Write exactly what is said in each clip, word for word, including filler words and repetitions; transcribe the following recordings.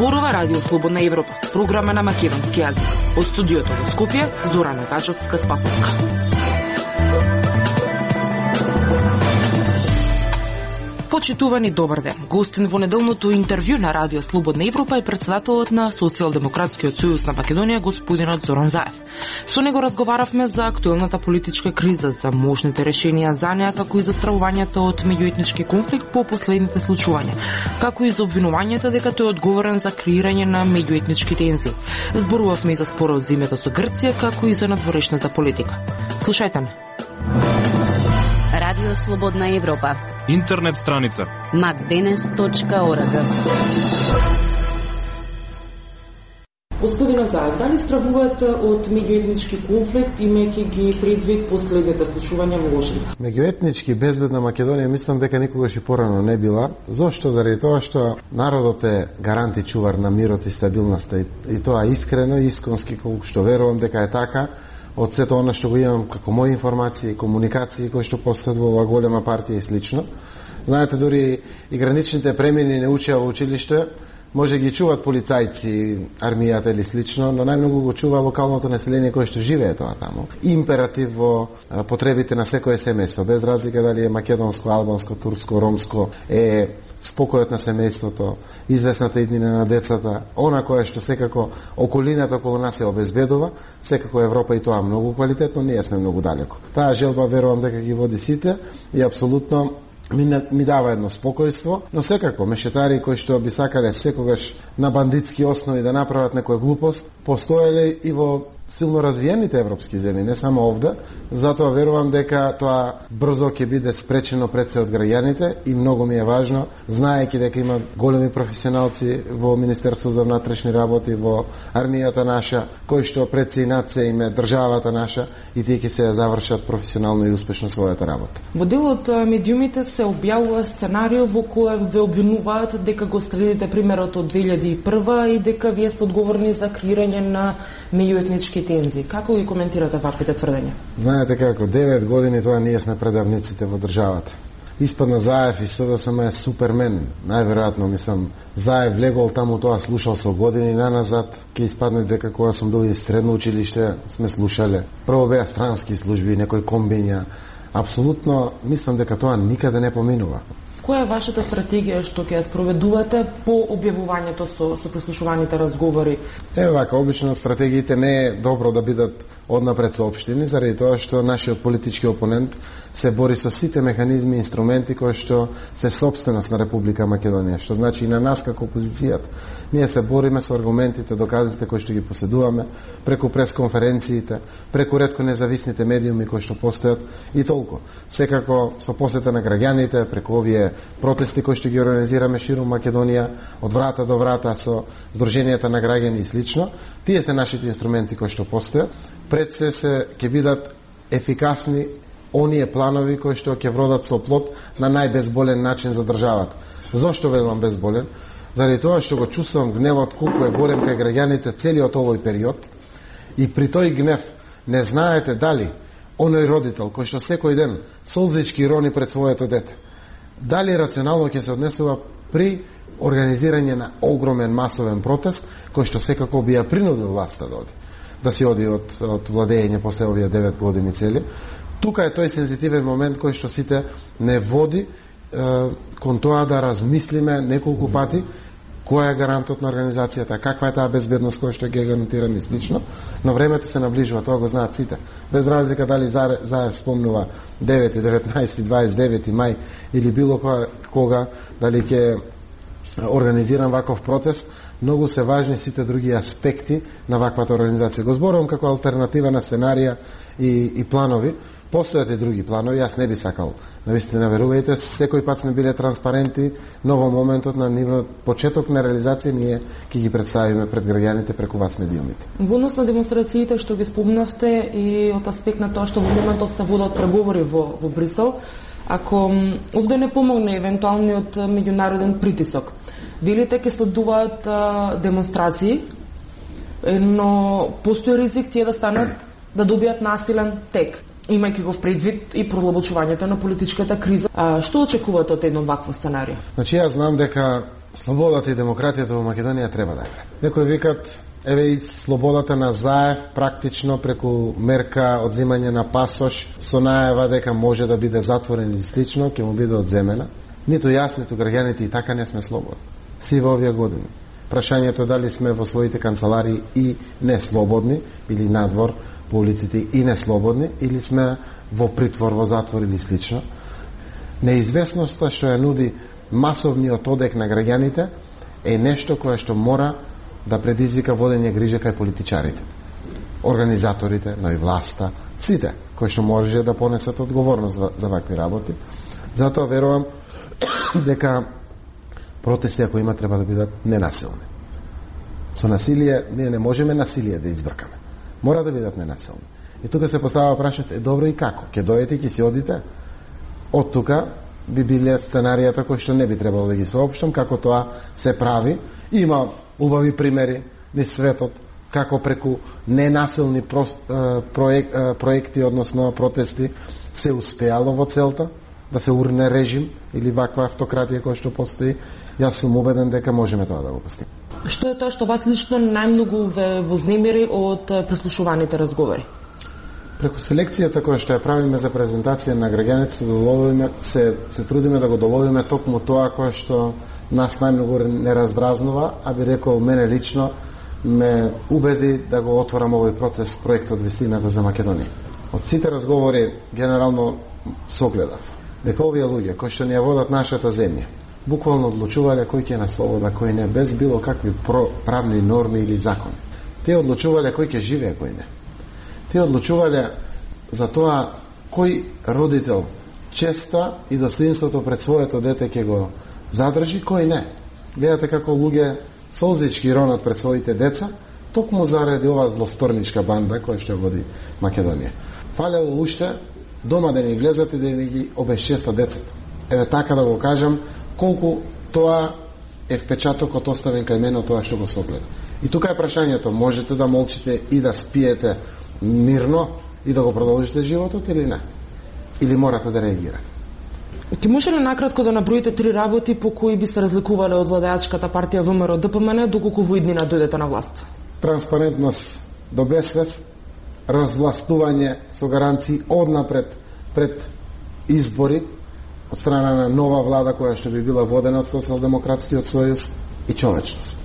Зборува Радио Слободна Европа, програма на македонски јазик. Од студиото во Скопје, Зора Нагачовска-Спасовска. Почитувани, добар ден. Гостин во неделното интервју на Радио Слободна Европа е председателот на Социјалдемократскиот сојуз на Македонија, господинот Зоран Заев. Со него разговаравме за актуелната политичка криза, за можните решенија за неа, како и за стравувањето од меѓуетнички конфликт по последните случувања, како и за обвинувањето дека тој е одговорен за креирање на меѓуетнички тензии. Зборувавме и за спорот за името со Грција, како и за надворешната политика. Слушајте ме. Радио Слободна Европа. Интернет страница макденес точка орг. Господина Заев, дали стравувате од меѓуетнички конфликт, имајќи ги предвид последните случувања во Ошица? Меѓуетнички безбедна Македонија мислам дека никогаш и порано не била. Зошто? Заради тоа што народот е гарант и чувар на мирот и стабилноста, и тоа искрено и исконски, колку што верувам дека е така. Од сето она што го имам како мои информации и комуникации кои што постојат во оваа голема партија и слично. Знаете, дури и граничните премини не учеа во училиште, може ги чуваат полицајци, армијата или слично, но најмногу го чува локалното население кое што живее тоа таму. Императив во потребите на секое семејство, без разлика дали е македонско, албанско, турско, ромско, е спокојот на семејството, известната иднина на децата, она кое што секако околината околу нас е обезбедува, секако Европа и тоа многу квалитетно, ние сме многу далеко. Таа желба верувам дека ги води сите и апсолутно ми, ми дава едно спокојство, но секако мешетари кои што би сакале секогаш на бандитски основи да направат некоја глупост, постоеле и во силно развиените европски земји, не само овде, затоа верувам дека тоа брзо ќе биде спречено пред се од граѓаните и многу ми е важно, знаејќи дека има големи професионалци во Министерството за внатрешни работи, во армијата наша, кои што пред се и над се име државата наша и тие ќе се завршат професионално и успешно својата работа. Во дел од медиумите се објавува сценарио во кој ве обвинуваат дека го следите примерот од две илјади и прва и дека вие сте одговорни за креирање на меѓуетнички тензии. Како ги коментирате ваквите тврдења? Знаете како, девет години тоа ние сме предавниците во државата. Испадна Заев и СДСМ е супермен. Најверојатно, мислам, Заев легол таму тоа слушал со години наназад, ќе испадне дека кога сум бил и в средно училиште, сме слушале. Прво беа странски служби, некои комбиња. Апсолутно, мислам дека тоа никаде не поминува. Која е вашата стратегија што ќе ја спроведувате по објавувањето со, со прислушуваните разговори? Е, вака, обично стратегиите не е добро да бидат однапред соопштени, заради тоа што нашиот политички опонент се бори со сите механизми и инструменти кои што се собственост на Република Македонија, што значи и на нас како опозицијата. Ние се бориме со аргументите, доказите кои што ги поседуваме, преку пресконференциите, преку ретко независните медиуми кои што постојат и толку. Секако со посета на граѓаните, преку овие протести кои што ги организираме ширум Македонија, од врата до врата со здруженијата на граѓани и слично, тие се нашите инструменти кои што постојат. Пред се се ќе бидат ефикасни оние планови кои што ќе вродат со плод на најбезболен начин за државата. Зошто велам безболен? Заради тоа што го чувствувам гневот колку е голем кај граѓаните целиот овој период и при тој гнев не знаете дали оној родител кој што секој ден солзички рони пред своето дете, дали рационално ќе се однесува при организирање на огромен масовен протест кој што секако би ја принудил власта да оди, да си оди од, од владење после овие девет години цели. Тука е тој сензитивен момент кој што сите не води е, кон тоа да размислиме неколку пати која е гарантот на организацијата, каква е таа безбедност која што ќе гарантираме и слично, но времето се наближува, тоа го знаат сите. Без разлика дали Заев спомнува девети, деветнаесети, дваесет и девети мај или било кога, кога дали ќе организирам ваков протест, многу се важни сите други аспекти на ваквата организација. Го зборувам како алтернатива на сценарија и, и планови. Постојат и други планови, јас не би сакал. Навистина, верувајте, секој пат сме биле транспаренти, но во моментот на нивно почеток на реализација ние ќе ги представиме пред граѓаните преку вас медиумите. Во однос на демонстрациите што ги спомнавте и од аспект на тоа што во моментов се водат преговори во, во Брисел, ако овде не помогне евентуалниот меѓународен притисок, велите ќе следуваат а, демонстрации, но постои ризик тие да станат, да добијат насилен тек, имајќи го предвид и продолбочувањето на политичката криза. А, што очекувате од едно вакво сценарио? Значи, јас знам дека Слободата и демократијата во Македонија треба да е. Некои викат, еве и слободата на Заев практично преку мерка одзимање на пасош со најава дека може да биде затворен или слично, ќе му биде одземена. Ниту јас, ниту граѓаните и така не сме слободни. Си во овие години. Прашањето дали сме во своите канцеларии и не слободни, или надвор по улиците и не слободни, или сме во притвор, во затвор или слично. Неизвестноста што ја нуди масовниот одек на граѓаните е нешто кое што мора да предизвика водење грижа кај политичарите, организаторите, но и власта, сите кои што може да понесат одговорност за, за вакви работи. Затоа верувам дека протести, ако има, треба да бидат ненасилни. Со насилие, ние не можеме насилие да избркаме. Мора да бидат ненасилни. И тука се поставува прашањето, е добро и како? Ке дојдете и ке си одите? Од тука би биле сценаријата кои што не би требало да ги соопштам, како тоа се прави. Има убави примери низ светот, како преку ненасилни про, проек, проекти, односно протести, се успеало во целта да се урне режим или ваква автократија која што постои. Јас сум убеден дека можеме тоа да го постигнеме. Што е тоа што вас лично најмногу ве вознемири од преслушуваните разговори? Преку селекцијата која што ја правиме за презентација на граѓаните се доловиме, се, се трудиме да го доловиме токму тоа кое што нас најмногу не раздразнува, а би рекол мене лично ме убеди да го отворам овој процес проектот Вистината за Македонија. Од сите разговори генерално согледав дека овие луѓе кои што ни ја водат нашата земја буквално одлучувале кој ќе на слобода, кој не, без било какви правни норми или закони. Те одлучувале кој ќе живее, кој не. Те одлучувале за тоа кој родител честа и достоинството пред своето дете ќе го задржи, кој не. Гледате како луѓе солзички ронат пред своите деца, токму заради ова злосторничка банда која што води Македонија. Фалело уште дома да ни влезат и да ни ги обесчеста децата. Еве така да го кажам, колку тоа е впечатокот оставен кај мене тоа што го согледа. И тука е прашањето, можете да молчите и да спиете мирно и да го продолжите животот или не? Или морате да реагирате? Ти може ли накратко да наброите три работи по кои би се разликувале од владеачката партија ВМРО Д П М Н доколку во иднина дојдете на власт? Транспарентност до безвез, развластување со гаранции однапред пред избори од страна на нова влада која што би била водена од Социјалдемократскиот сојуз и човечност.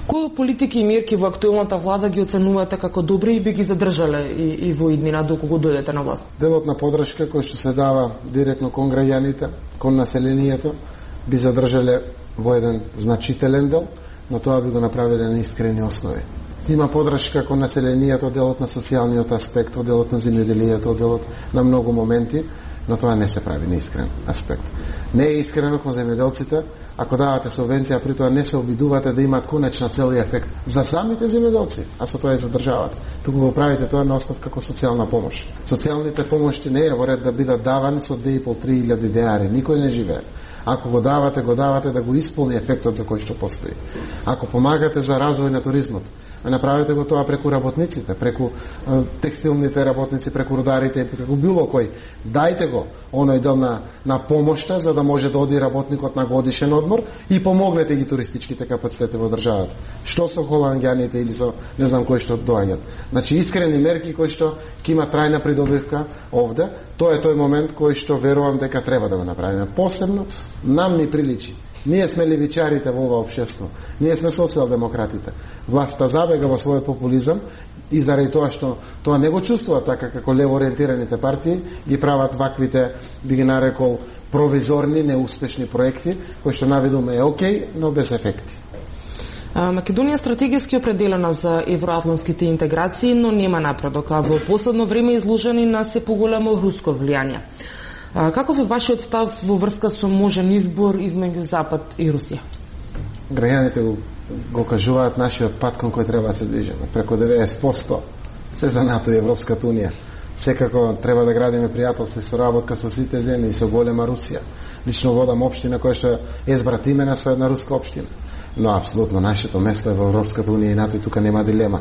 Кои политики и мерки во актуелната влада ги оценувате како добри и би ги задржале и, и во иднина доколку дојдете на власт? Делот на подршка кој што се дава директно кон граѓаните, кон населението, би задржале во еден значителен дел, но тоа би го направиле на искрени основи. Има подршка кон населението, делот на социјалниот аспект, делот на земјоделието, делот на многу моменти, но тоа не се прави на искрен аспект. Не е искрено кон земјоделците, ако давате субвенција, при тоа не се обидувате да имаат конечна цел и ефект за самите земјоделци, а со тоа и задржавате. Туку го правите тоа на основа како социјална помош. Социјалните помоши не е во ред да бидат давани со две и пол до три илјади денари, никој не живее. Ако го давате, го давате да го исполни ефектот за кој што постои. Ако помагате за развој на туризмот, направете го тоа преку работниците, преку е, текстилните работници, преку рударите, преку било кој. Дајте го оној дел на, на помошта за да може да оди работникот на годишен одмор и помогнете ги туристичките капацитети во државата. Што со холанѓаните или со не знам кои што доаѓат. Значи искрени мерки кои што ќе има трајна придобивка овде, тоа е тој момент кој што верувам дека треба да го направиме. Посебно нам ни приличи. Ние сме левичарите во ова општество. Ние сме социјалдемократите. Власта забега во својот популизам и заради тоа што тоа не го чувствува така како лево ориентираните партии, ги прават ваквите, би ги нарекол, провизорни, неуспешни проекти, кои што наведоме е окей, но без ефекти. Македонија стратегиски определена за евроатлантските интеграции, но нема напредок, а во последно време изложени на се поголемо руско влијание. Каков е вашиот став во врска со можен избор измеѓу Запад и Русија? Граѓаните го, го кажуваат нашиот пат кон кој треба да се движиме. Преку деветдесет проценти се за НАТО и Европската унија. Секако треба да градиме пријателство и соработка со сите земји и со голема Русија. Лично водам општина која што е збратимена со една руска општина. Но апсолутно нашето место е во Европската унија и НАТО и тука нема дилема.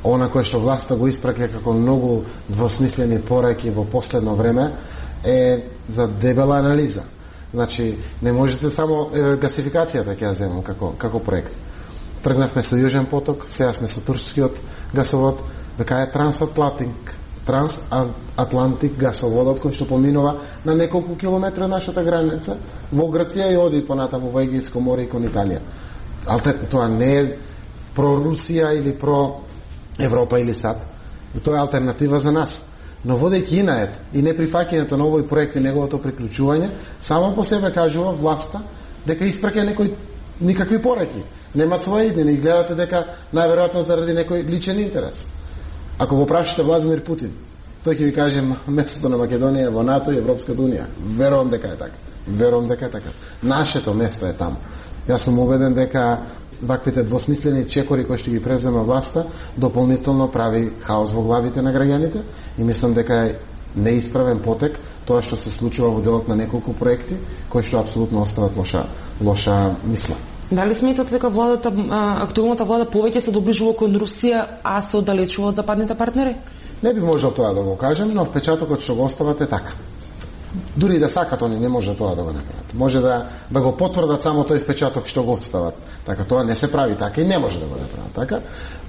Она кој што власта го испраќа како многу двосмислени пораки во последно време е за дебела анализа. Значи, не можете само е, гасификацијата ќе ја земам како, како проект. Тргнавме со Јужен поток, сега сме со турскиот гасовод, века е трансатлантик, трансатлантик гасоводот кој што поминува на неколку километри од нашата граница во Грција и оди понатаму во Егејско море и кон Италија. Алтер, тоа не е про Русија или про Европа или САД. Тоа е алтернатива за нас. Но водејќи инаед и неприфаќањето на овој проект и неговото приклучување, само по себе кажува власта дека испраќа некој никакви пореки. Немат своја иднина и гледате дека најверојатно заради некој личен интерес. Ако го прашате Владимир Путин, тој ќе ви каже местото на Македонија во НАТО и Европската унија. Верувам дека е така. Верувам дека е така. Нашето место е таму. Јас сум убеден дека ваквите двосмислени чекори кои што ги презема власта дополнително прави хаос во главите на граѓаните и мислам дека е неисправен потек тоа што се случува во делот на неколку проекти кои што апсолутно остават лоша лоша мисла. Дали сметате дека владата, актуелната влада повеќе се доближува кон Русија, а се оддалечува од западните партнери? Не би можел тоа да го кажем, но впечатокот што го остават е така. Дури да сакат, они не може тоа да го направат. Може да, да го потврдат само тој впечаток што го остават. Така, тоа не се прави така и не може да го направат така.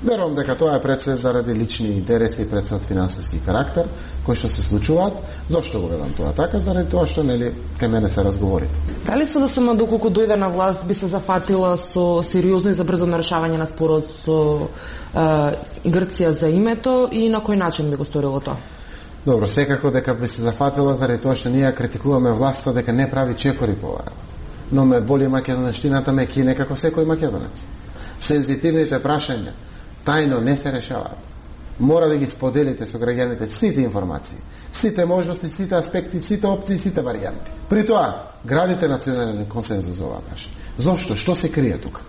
Верувам дека тоа е пред се заради лични интереси и пред се од финансиски карактер, кои што се случуваат. Зошто го ведам тоа така? Заради тоа што, нели, кај мене се разговори. Дали СДСМ доколку дојде на власт би се зафатила со сериозно и забрзано решавање на спорот со е, Грција за името и на кој начин би го сторило тоа? Добро, секако дека би се зафатила заради тоа што ние критикуваме власта дека не прави чекори по ова. Но ме боли македонштината, ме кине како секој македонец. Сензитивните прашања тајно не се решаваат. Мора да ги споделите со граѓаните сите информации, сите можности, сите аспекти, сите опции, сите варијанти. При тоа, градите национален консензус за ова прашање. Зошто? Што се крие тука?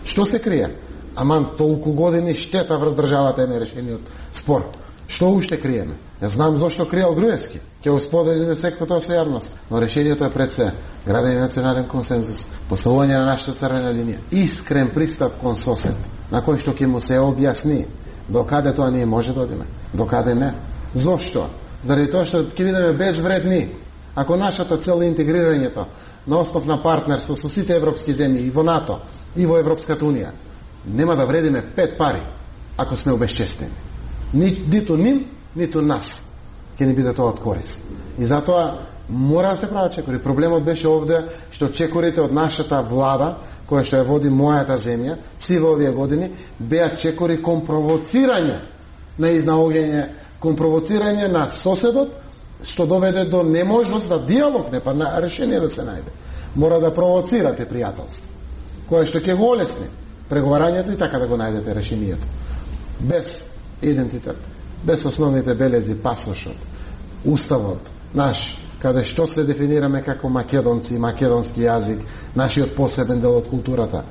Што се крие? Аман толку години штета врз државата е нерешениот спор. Што уште криеме? Ја знам зошто криел Груевски. Ќе го споделиме секако тоа со јавност. Но решението е пред се. Градење национален консензус, поставување на нашата црвена линија, искрен пристап кон сосед, на кој што ќе му се објасни докаде тоа ние може да одиме, докаде не. Зошто? Заради тоа што ќе бидеме безвредни. Ако нашата цел е интегрирањето на основ на партнерство со сите европски земји и во НАТО, и во Европската унија, нема да вредиме пет пари ако сме обезчестени. Ни, ниту ним, ниту нас ќе ни биде тоа од корис. И затоа мора да се прават чекори. Проблемот беше овде што чекорите од нашата влада, која што ја води мојата земја, си во овие години, беа чекори кон провоцирање на изнаоѓање, кон провоцирање на соседот, што доведе до неможност за диалог, не па на решение да се најде. Мора да провоцирате пријателство, која што ќе го олесни преговарањето и така да го најдете решението. Без идентитет, без основните белези, пасошот, уставот наш, каде што се дефинираме како македонци, македонски јазик, нашиот посебен дел од културата.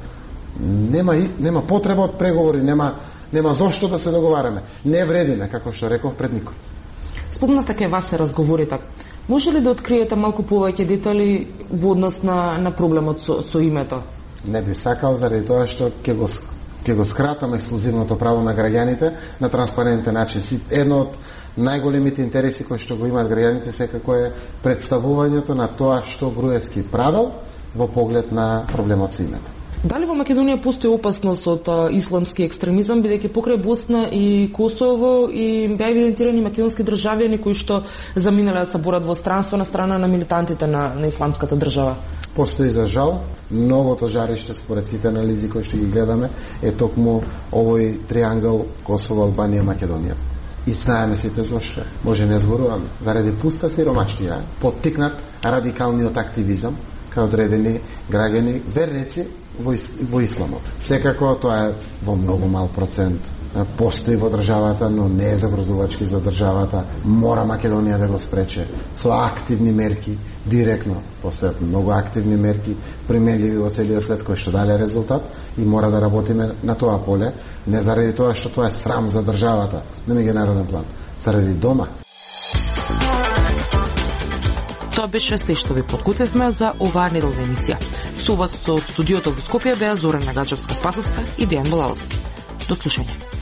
Нема, нема потреба од преговори, нема, нема зошто да се договараме. Не вредиме, како што реков пред никој. Спомнавте кај вас се разговорите. Може ли да откриете малку повеќе детали во однос на, на проблемот со, со името? Не би сакал, заради тоа што ќе го ќе го скратам ексклузивното право на граѓаните на транспарентен начин. Едно од најголемите интереси кои што го имаат граѓаните секако е представувањето на тоа што Груевски правел во поглед на проблемот со името. Дали во Македонија постои опасност од а, исламски екстремизам, бидејќи покрај Босна и Косово и беа евидентирани македонски државјани кои што заминале да се борат во странство на страна на милитантите на, на исламската држава? Постои, за жал, новото жариште според сите анализи кои што ги гледаме е токму овој триангл Косово, Албанија, Македонија. И знаеме сите зошто. Може не зборуваме. Заради пуста сиромаштија, поттикнат радикалниот активизам кај одредени граѓани, верници во, во исламот. Секако тоа е во многу мал процент. Постои во државата, но не е загрозувачки за државата. Мора Македонија да го спрече со активни мерки, директно. Постојат многу активни мерки, применливи во целиот свет, кои што дале резултат и мора да работиме на тоа поле, не заради тоа што тоа е срам за државата, на меѓународен план, заради дома. Тоа беше се што ви подготвивме за оваа неделна емисија. Со вас од студиото во Скопје беа Зорана Гаджевска-Спасовска и Дејан Балаловски. До слушање.